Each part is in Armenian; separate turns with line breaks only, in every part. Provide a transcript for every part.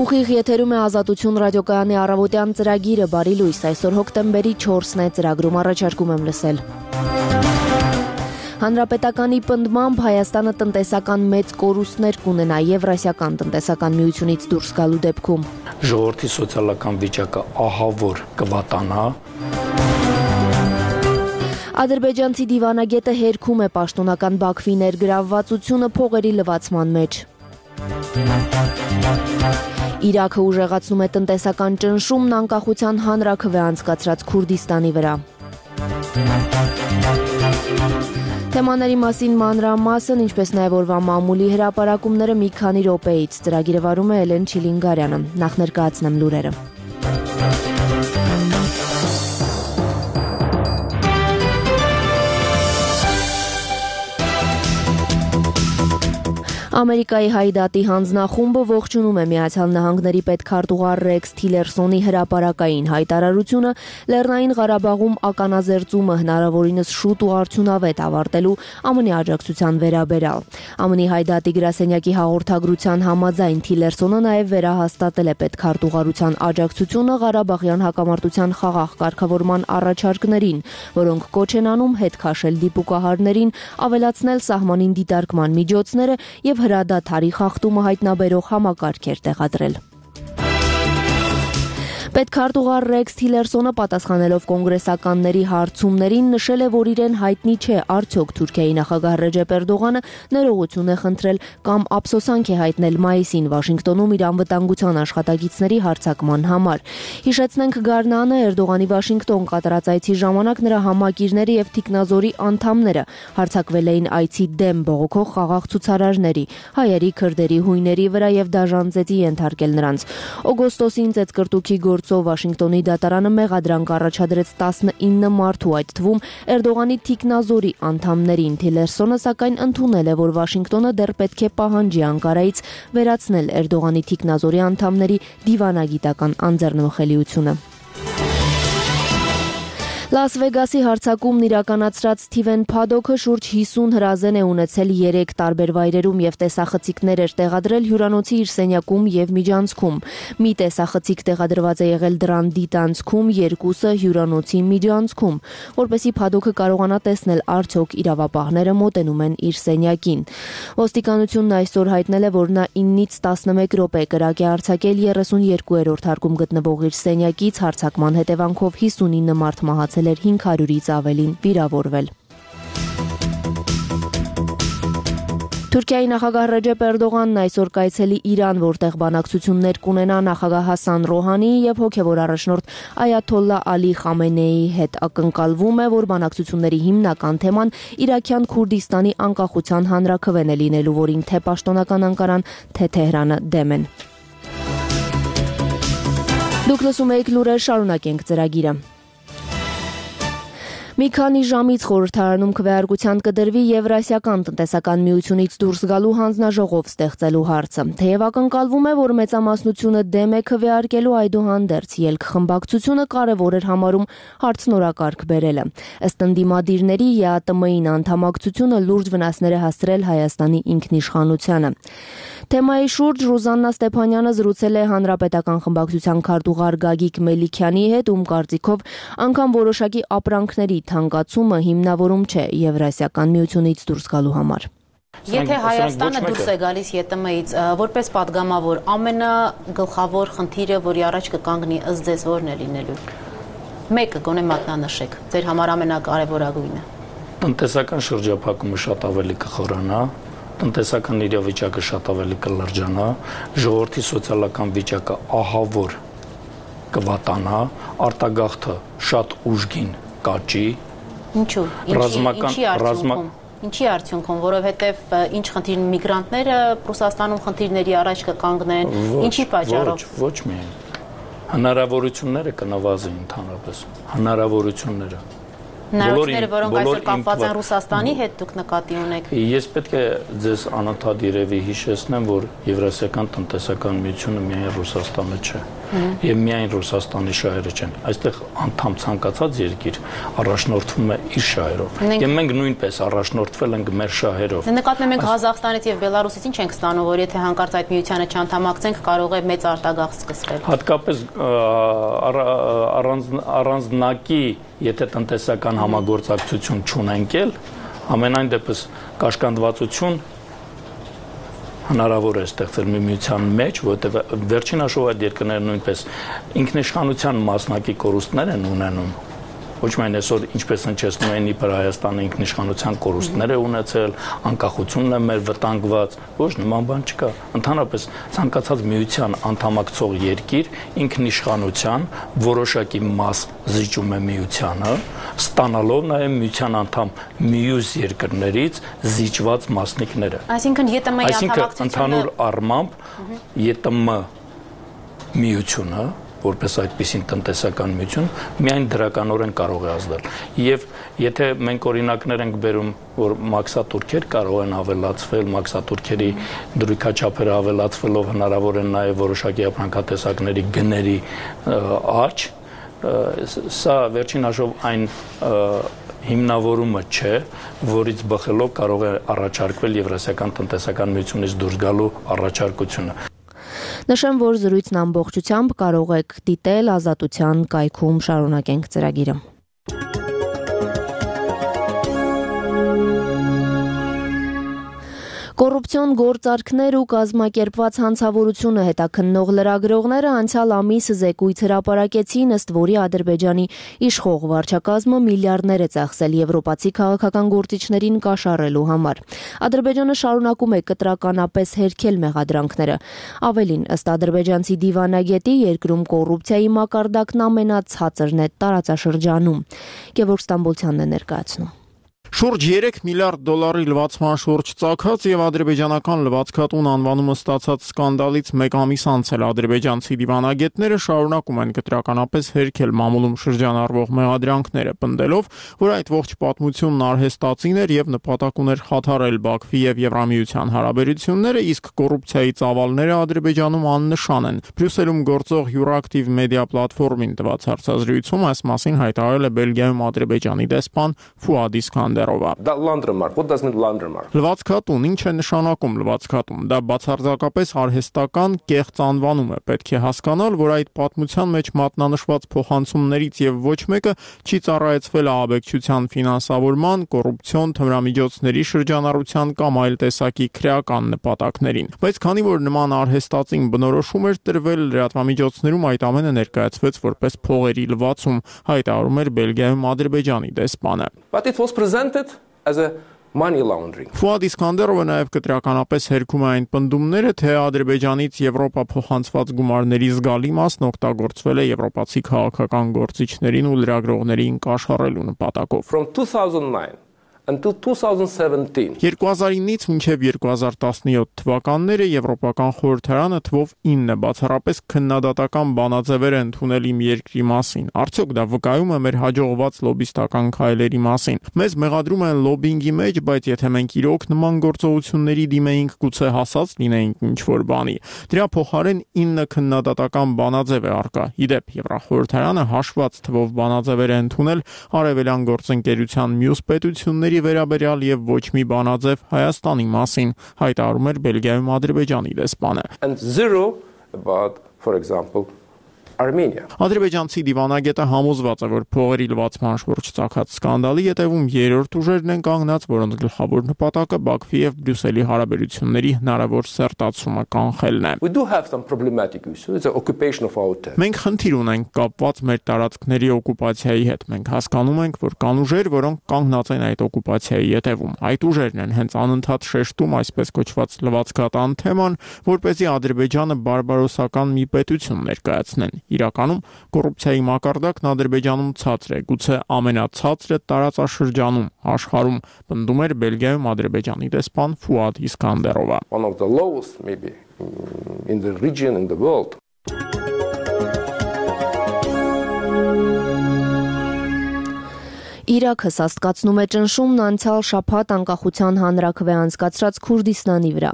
Ուղիղ եթերում է Ազատություն ռադիոկայանի առավոտյան ծրագիրը, բարի լույս, այսօր հոկտեմբերի 4-ն է, ծրագրում առաջարկում եմ լսել։ Հանրապետականի պնդմամբ Հայաստանը տնտեսական մեծ կորուստներ կունենա Եվրասիական տնտեսական միությունից դուրս գալու դեպքում։
Ժողովրդի սոցիալական վիճակը ահավոր կվատանա։
Ադրբեջանցի դիվանագետը հերքում է պաշտոնական Բաքվի ներգրավվածությունը փողերի լվացման մեջ։ Իրաքը ուժեղացնում է տնտեսական ճնշումն անկախության հանրաքվե անցկացրած Քուրդիստանի վրա։ Թեմաների մասին մանրամասն, ինչպես նաև օրվա մամուլի հրապարակումները մի քանի րոպեից։ Ծրագիրը վարում է Էլեն Չիլինգարյանը։ Նախ ներկայացնեմ լուրերը։ Ամերիկայի Հայդատի հանձնախումբը ողջունում է Միացյալ Նահանգների պետքարտուղար Ռեքս Թիլերսոնի հրապարակային հայտարարությունը Լեռնային Ղարաբաղում ականազերծումը հնարավորինս շուտ ու արդյունավետ ավարտելու ԱՄՆ աջակցության վերաբերյալ։ ԱՄՆ Հայդատի գրասենյակի հաղորդագրության համաձայն Թիլերսոնը նաև վերահաստատել է պետքարտուղարության աջակցությունը Ղարաբաղյան հակամարտության խաղաղ կարգավորման առաջարկներին, որոնք կոչ են անում հետ քաշել դիպուկահարներին, ավելացնել սահմանին դիտարկման միջոցները եւ հրադադարի խախտումը հայտնաբերող համակարգեր տեղադրել։ Պետքարտուղար Ռեքս Թիլերսոնը պատասխանելով կոնգրեսականների հարցումներին նշել է, որ իրեն հայտնի չէ արդյոք Թուրքիայի նախագահ Ռեջեփ Էրդողանը ներողություն է խնդրել կամ ափսոսանք է հայտնել մայիսին Վաշինգտոնում իր անվտանգության աշխատակիցների հարձակման համար։ Հիշեցնենք, գարնանը Էրդողանի Վաշինգտոն կատարած այցի ժամանակ նրա համակիրները եւ թիկնազորի անդամները հարձակվել էին այցի դեմ բողոքող խաղաղ ցուցարարների, հայերի, քրդերի, հույների վրա եւ դաժան ծեծի ենթարկել նրանց։ Օգոստոսին ծեծկրտուքի Վաշինգտոնի դատարանը մեղադրանք առաջադրեց 19 մարդու, այդ թվում Էրդողանի թիկնազորի անդամներին։ Թիլերսոնը սակայն ընդունել է, որ Վաշինգտոնը դեռ պետք է պահանջի Անկարայից վերացնել Էրդողանի թիկնազորի անդամների դիվանագիտական անձեռնմխելիությունը։ Լաս Վեգասի հարձակումն իրականացրած Սթիվեն Փադոքը շուրջ 50 հրազեն է ունեցել 3 տարբեր վայրերում եւ տեսախցիկներ էր տեղադրել հյուրանոցի իր սենյակում եւ միջանցքում։ Մի տեսախցիկ տեղադրված է եղել դրան դիտանցքում, երկուսը հյուրանոցի միջանցքում, որպեսզի Փադոքը կարողանա տեսնել արդյոք իրավապահները մոտենում են իր սենյակին։ Ոստիկանությունն այսօր հայտնել է, որ նա 9-ից 11 րոպե կրակ է արձակել 32-րդ հարկում գտնվող իր սենյակից, հարձակման հետևանքով 59 մարդ մահացել 500-ից ավելին վիրավորվել։ Թուրքիայի նախագահ Ռեջեփ Էրդողանն այսօր կայցելի Իրան, որտեղ բանակցություններ կունենա նախագահ Հասան Ռոհանիի եւ հոգեվոր առաջնորդ Այաթոլլա Ալի Խամենեիի հետ։ Ակնկալվում է, որ բանակցությունների հիմնական թեման Իրաքյան Քուրդիստանի անկախության հանրաքվեն է լինելու, որին թե պաշտոնական Անկարան, թե Թեհրանը դեմ են։ Դուք լսում եք լուրեր, շարունակենք ծրագիրը։ Մի քանի ժամից խորհրդարանում քվեարկության կդրվի Եվրասիական տնտեսական միությունից դուրս գալու հանձնաժողով ստեղծելու հարցը։ Թեև ակնկալվում է, որ մեծամասնությունը դեմ է քվեարկելու, այդուհանդերձ ելքխմբակցությունը կարևոր էր համարում հարցն օրակարգ բերելը։ Ըստ ընդդիմադիրների ԵԱՏՄ-ին անդամակցությունը լուրջ վնասներ է հասցրել Հայաստանի ինքնիշխանությանը։ Թեմայի շուրջ Ռուզաննա Ստեփանյանը զրուցել է Հանրապետական խմբակցության քարտուղար Գագիկ Մելիքյանի հետ, ում կարծիքով անգամ որոշակի ապրանքների թանկացումը հիմնավորում չէ Եվրասիական միությունից դուրս գալու համար։
Եթե Հայաստանը դուրս է գալիս ԵՏՄ-ից, որպես падգամավոր, ամենագլխավոր խնդիրը, որի առաջ կկանգնի, ըստ ձեզ որն է լինելու։ Մեկը գոնե մատնանշեք, ձեր համար ամենակարևորագույնը։
Տնտեսական շրջափակումը շատ ավելի կխորանա, տնտեսական իրավիճակը շատ ավելի կլրջանա, ժողովրդի սոցիալական վիճակը ահավոր կվատանա, արտագաղթը շատ ուժգին կաճի։
Ինչու՞։ Ինչի արդյունքում, որովհետև ինչ խնդիր միգրանտները Ռուսաստանում խնդիրների առաջ կկանգնեն, ինչի պատճառով։
Ոչ միայն։ Հնարավորությունները կնվազեն ընդհանրապես, հնարավորությունները,
որոնք այսօր կապված են Ռուսաստանի հետ, դուք նկատի ունեք։
Ես պետք է ձեզ անընդհատ երևի հիշեցնեմ, որ Եվրասիական տնտեսական միությունը միայն Ռուսաստանը չէ։ եւ միայն Ռուսաստանի շահերը չեն։ Այստեղ անդամ ցանկացած երկիր առաջնորդվում է իր շահերով։ Եվ մենք նույնպես առաջնորդվել ենք մեր շահերով։
Նկատում ենք Ղազախստանից եւ Բելարուսից ինչ ենք ստանում, որ եթե հանկարծ այդ միությանը չանդամակցենք, կարող է մեծ արտագաղթ սկսվել։
Հատկապես առանձնակի, եթե տնտեսական համագործակցություն չունենք, ամենայն դեպս կաշկանդվածություն հնարավոր է ստեղծել մի միության մեջ, որովհետև վերջին հաշվով այդ երկրները նույնպես ինքնիշխանության մասնակի կորուստներ են ունենում։ Ոչ միայն այսօր ինչպես հնչեցնում են իբր Հայաստանը ինքնիշխանության կորուստներ է ունեցել, անկախությունն է մեր վտանգված, ոչ նման բան չկա։ Ընդհանրապես ցանկացած միության անդամակցող երկիր ինքնիշխանության որոշակի մաս զիջում է միությանը, ստանալով նաև միության անդամ մյուս երկրներից զիջված մասնիկները։
Այսինքն ԵՏՄ-ի անդամակցությունը
ընդհանուր առմամբ ԵՏՄ միությունը որպես այդպիսին տնտեսական միություն միայն դրականորեն կարող է ազդել։ Եվ եթե մենք օրինակներ ենք բերում, որ մաքսատուրքեր կարող են ավելացվել, մաքսատուրքերի դրույքաչափերը ավելացվելով հնարավոր են նաև որոշակի ապրանքատեսակների գների աճ, սա վերջին հաշվով այն հիմնավորումը չէ, որից բխելով կարող է առաջարկվել Եվրասիական տնտեսական միությունից դուրս գալու առաջարկությունը։
Նշեմ, որ զրույցն ամբողջությամբ կարող եք դիտել Ազատության կայքում, շարունակենք ծրագիրը։ Կոռուպցիոն գործարքներ ու կազմակերպված հանցավորությունը հետաքննող լրագրողները անցյալ ամիս զեկույց հրապարակեցին, ըստ որի Ադրբեջանի իշխող վարչակազմը միլիարդներ է ծախսել եվրոպացի քաղաքական գործիչներին կաշառելու համար։ Ադրբեջանը շարունակում է կտրականապես հերքել մեղադրանքները։ Ավելին, ըստ ադրբեջանցի դիվանագետի, երկրում կոռուպցիայի մակարդակն ամենացածրն է տարածաշրջանում։ Գևորգ Ստամբոլցյանն է ներկայացնում։
Շուրջ 3 միլիարդ դոլարի լվացման շուրջ ծագած եւ ադրբեջանական լվացքատուն անվանումը ստացած սկանդալից մեկ ամիս անց էլ ադրբեջանցի դիվանագետները շարունակում են կտրականապես հերքել մամուլում շրջանառվող մեղադրանքները, պնդելով, որ այդ ողջ պատմությունն արհեստացին էր եւ նպատակ ուներ խաթարել Բաքվի եւ Եվրամիության հարաբերությունները, իսկ կոռուպցիայի ծավալները Ադրբեջանում աննշան են։ Բրյուսելում գործող Euractiv մեդիա պլատֆորմին տված հարցազրույցում այս մասին հայտարարել է Բելգիայում Ադրբեջանի դեսպան Ֆուադ Իսկանդերովը։
What does mean laundromat?
Լվացքատուն, ինչ է նշանակում լվացքատուն։ Դա բացարձակապես արհեստական կեղծ անվանում է։ Պետք է հասկանալ, որ այդ պատմության մեջ մատնանշված փոխանցումներից եւ ոչ մեկը չի ծառայեցվել ահաբեկչության ֆինանսավորման, կոռուպցիոն թմրամիջոցների շրջանառության կամ այլ տեսակի քրեական նպատակներին։ Բայց քանի որ նման արհեստածին բնորոշում էր տրվել, լրատվամիջոցներում այդ ամենը ներկայացվեց որպես փողերի լվացում, հայտարարում էր Բելգիայում Ադրբեջանի դեսպանը։
But it was presented as a money laundering.
Ֆուադ Իսկանդերովը նաև կտրականապես հերքում է այն պնդումները, թե Ադրբեջանից Եվրոպա փոխանցված գումարների զգալի մասն օգտագործվել է եվրոպացի քաղաքական գործիչներին ու լրագրողներին կաշառելու նպատակով։
From 2009 until 2017.
2009-ից մինչև 2017 թվականները Եվրոպական խորհրդարանը թվով 9 բացառապես քննադատական բանաձևեր է ընդունել իմ երկրի մասին։ Արդյոք դա վկայում է մեր հաջողված լոբիստական քայլերի մասին։ Մեզ մեղադրում են լոբինգի մեջ, բայց եթե մենք իրոք նման գործողությունների դիմեինք, գուցե հասած լինեինք ինչ-որ բանի։ Դրա փոխարեն 9 քննադատական բանաձև է առկա։ Իդեպ Եվրախորհրդարանը հաշված թվով բանաձևեր է ընդունել արևելյան գործընկերության մյուս պետությունների վերաբերյալ եւ ոչ մի բանաձև Հայաստանի մասին, հայտարարում էր Բելգիայում Ադրբեջանի դեսպանը։
And zero about, for example, Armenia.
Ադրբեջանցի դիվանագետը համոզված է, որ փողերի լվացման շուրջ ծագած սկանդալի ետևում երրորդ ուժերն են կանգնած, որոնց գլխավոր նպատակը Բաքվի եւ Բրյուսելի հարաբերությունների հնարավոր սերտացումը կանխելն է։
We do have some problematic issues. It's the occupation of our territory.
Մենք խնդիր ունենք կապված մեր տարածքների օկուպացիայի հետ։ Մենք հասկանում ենք, որ կան ուժեր, որոնք կանգնած են այդ օկուպացիայի ետևում։ Այդ ուժերն են հենց անընդհատ շեշտում այսպես կոչված լվացքատան թեման, որպեսզի Ադրբեջանը բարբարոսական մի պետություն ներկայացնեն։ Իրականում կոռուպցիայի մակարդակն Ադրբեջանում ցածր է, գուցե ամենացածրը տարածաշրջանում, աշխարհում, պնդում էր Բելգիայում Ադրբեջանի դեսպան Ֆուադ Իսկանդերովը։
One of the lowest maybe in the region, in the world.
Իրաքը սաստկացնում է ճնշումն անցյալ շաբաթ անկախության հանրաքվե անցկացրած Քուրդիստանի վրա։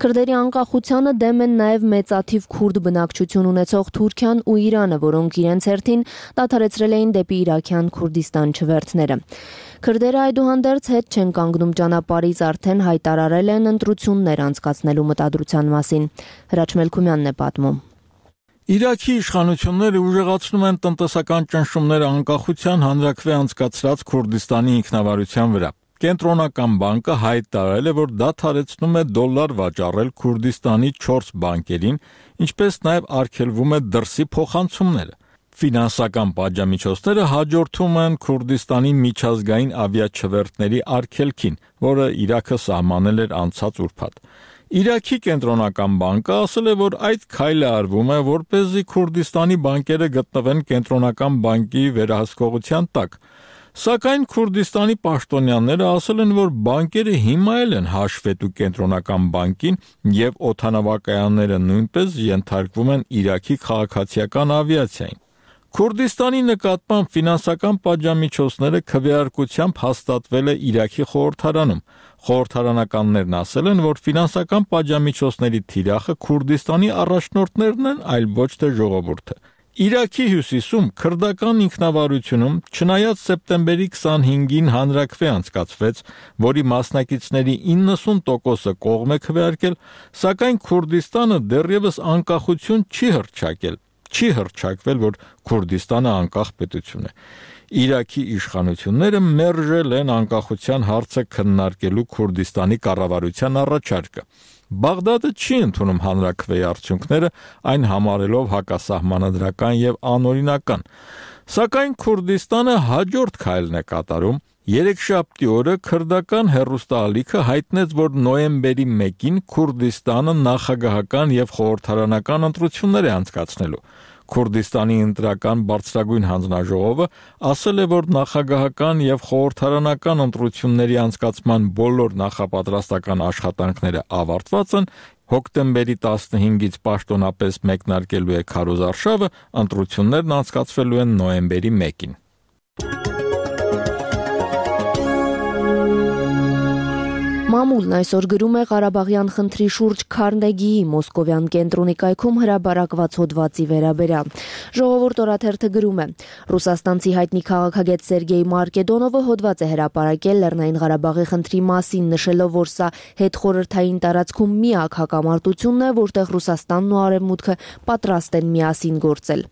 Քրդերի անկախությանը դեմ են նաև մեծաթիվ քուրդ բնակչություն ունեցող Թուրքիան ու Իրանը, որոնք իրենց հերթին դադարեցրել էին դեպի իրաքյան Քուրդիստան չվերթները։ Քրդերը այդուհանդերձ հետ չեն կանգնում ճանապարհից, արդեն հայտարարել են ընտրություններ անցկացնելու մտադրության մասին։ Հրաչ Մելքումյանն է պատմում։
Իրաքի իշխանությունները ուժեղացնում են տնտեսական ճնշումները անկախության հանրաքվե անցկացրած Քուրդիստանի ինքնավարության վրա։ Կենտրոնական բանկը հայտարարել է, որ դադարեցնում է դոլար վաճառել Քուրդիստանի 4 բանկերին, ինչպես նաև արգելվում է դրսի փոխանցումները։ Ֆինանսական պատժամիջոցները հաջորդում են Քուրդիստանի միջազգային ավիաչվերթների արգելքին, որը Իրաքը սահմանել էր անցած ուրբաթ։ Իրաքի կենտրոնական բանկը ասել է, որ այդ քայլը արվում է, որպեսզի Քուրդիստանի բանկերը գտնվեն կենտրոնական բանկի վերահսկողության տակ։ Սակայն Քուրդիստանի պաշտոնյաները ասել են, որ բանկերը հիմա էլ են հաշվետու կենտրոնական բանկին եւ օդանավակայանները նույնպես ենթարկվում են Իրաքի քաղաքացիական ավիացիային։ Քուրդիստանի նկատմամբ ֆինանսական պատժամիջոցները քվեարկությամբ հաստատվել է Իրաքի խորհրդարանում։ Խորհրդարանականներն ասել են, որ ֆինանսական պատժամիջոցների թիրախը Քուրդիստանի առաջնորդներն են, այլ ոչ թե ժողովուրդը։ Իրաքի հյուսիսում քրդական ինքնավարությունում, չնայած սեպտեմբերի 25-ին հանրաքվե անցկացվեց, որի մասնակիցների 90%-ը կողմ է քվեարկել, սակայն Քուրդիստանը դեռևս անկախություն չի հռչակվել, որ Քուրդիստանը անկախ պետություն է։ Իրաքի իշխանությունները մերժել են անկախության հարցը քննարկելու Քուրդիստանի կառավարության առաջարկը։ Բաղդադը չի ընդունում հանրաքվեի արդյունքները, այն համարելով հակասահմանադրական եւ անօրինական։ Սակայն Քուրդիստանը հաջորդ քայլն է կատարում։ Երեքշաբթի օրը քրդական հեռուստաալիքը հայտնեց, որ նոյեմբերի 1-ին Քուրդիստանը նախագահական եւ խորհրդարանական ընտրություններ է անցկացնելու։ Քուրդիստանի ընտրական բարձրագույն հանձնաժողովը ասել է, որ նախագահական եւ խորհրդարանական ընտրությունների անցկացման բոլոր նախապատրաստական աշխատանքները ավարտված են, հոկտեմբերի 15-ից պաշտոնապես մեկնարկելու է քարոզարշավը, ընտրություններն անցկացվելու են նոյեմբերի 1-ին։
Մամուլն այսօր գրում է Ղարաբաղյան խնդրի շուրջ Քարնեգիի մոսկովյան կենտրոնի կայքում հրապարակված հոդվածի վերաբերյալ։ Ժողովուրդ օրաթերթը գրում է. Ռուսաստանցի հայտնի քաղաքագետ Սերգեյ Մարկեդոնովը հոդված է հրապարակել Լեռնային Ղարաբաղի խնդրի մասին, նշելով, որ սա հետխորհրդային տարածքում միակ հակամարտությունն է, որտեղ Ռուսաստանն ու Արևմուտքը պատրաստ են միասին գործել։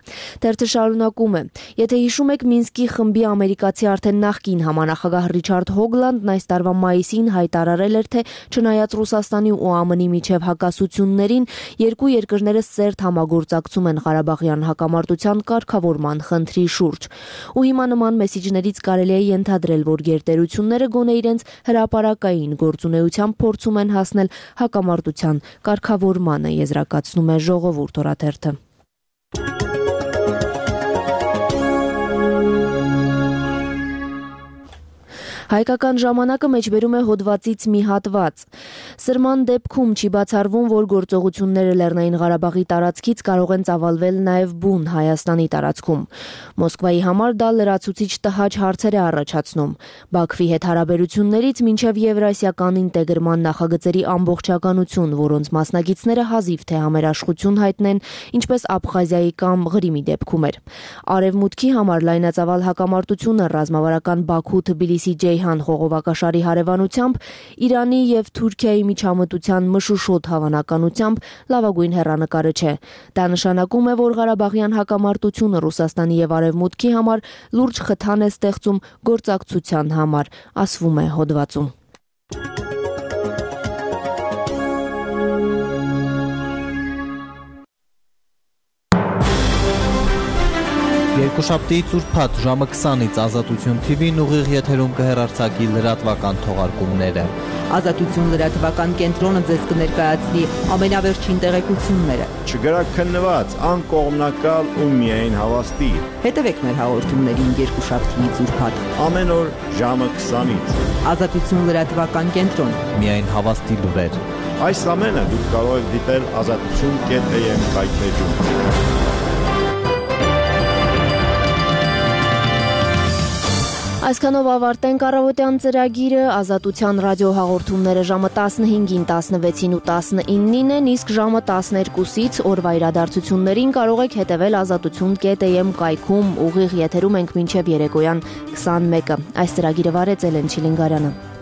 Թերթը շարունակում է. Եթե հիշում եք, Մինսկի խմբի ամերիկացի արդեն նախկին համանախագահ Ռիչարդ Հոգլանդն այս տարվա մայիսին հայտարարել էր, թե չնայած Ռուսաստանի ու ԱՄՆ-ի միջև հակասություններին, երկու երկրները սերտ համագործակցում են Ղարաբաղյան հակամարտության կարգավորման խնդրի շուրջ։ Ու հիմա նման մեսիջներից կարելի է ենթադրել, որ գերտերությունները գոնե իրենց հրապարակային գործունեությամբ փորձում են հասնել հակամարտության կարգավորմանը, եզրակացնում է Ժողովուրդ օրաթերթը։ Հայկական ժամանակը մեջբերում է հոդվածից մի հատված։ Սրման դեպքում չի բացառվում, որ գործողությունները Լեռնային Ղարաբաղի տարածքից կարող են ծավալվել նաև բուն Հայաստանի տարածքում։ Մոսկվայի համար դա լրացուցիչ տհաճ հարցեր է առաջացնում։ Բաքվի հետ հարաբերություններից մինչև Եվրասիական ինտեգրման նախագծերի ամբողջականություն, որոնց մասնակիցները հազիվ թե համերաշխություն հայտնեն, ինչպես Աբխազիայի կամ Ղրիմի դեպքում էր։ Արևմուտքի համար լայնածավալ հակամարտությունը ռազմավարական Բաքու-Թբիլիսի Ջեյհան խողովակաշարի հարևանությամբ, Իրանի եւ Թուրքիայի միջամտության մշուշոտ հավանականությամբ լավագույն հեռանկարը չէ։ Դա նշանակում է, որ Ղարաբաղյան հակամարտությունը Ռուսաստանի եւ Արևմուտքի համար լուրջ խթան է ստեղծում գործակցության համար, ասվում է հոդվածում։
Երկուշաբթիից ուրբաթ ժամը 20-ից Ազատություն TV-ն ուղիղ եթերում կհեռարձակի լրատվական թողարկումները։
Ազատություն լրատվական կենտրոնը ձեզ կներկայացնի ամենավերջին տեղեկությունները։
Չգրաքննված, անկողմնակալ ու միայն հավաստի։
Հետևեք մեր հաղորդումներին երկուշաբթիից ուրբաթ
ամեն օր ժամը 20-ից։
Ազատություն լրատվական կենտրոն։
Միայն հավաստի լուրեր։
Այս ամենը դուք կարող եք դիտել azatutun.am կայքէջում։
Այսքանով ավարտենք առավոտյան ծրագիրը, Ազատության ռադիոհաղորդումները ժամը 15-ին, 16-ին ու 19-ին են, իսկ ժամը 12-ից օրվա իրադարձություններին կարող եք հետևել azatutun.am կայքում, ուղիղ եթերում ենք մինչև երեկոյան 21-ը։ Այս ծրագիրը վարեց Էլեն Չիլինգարյանը։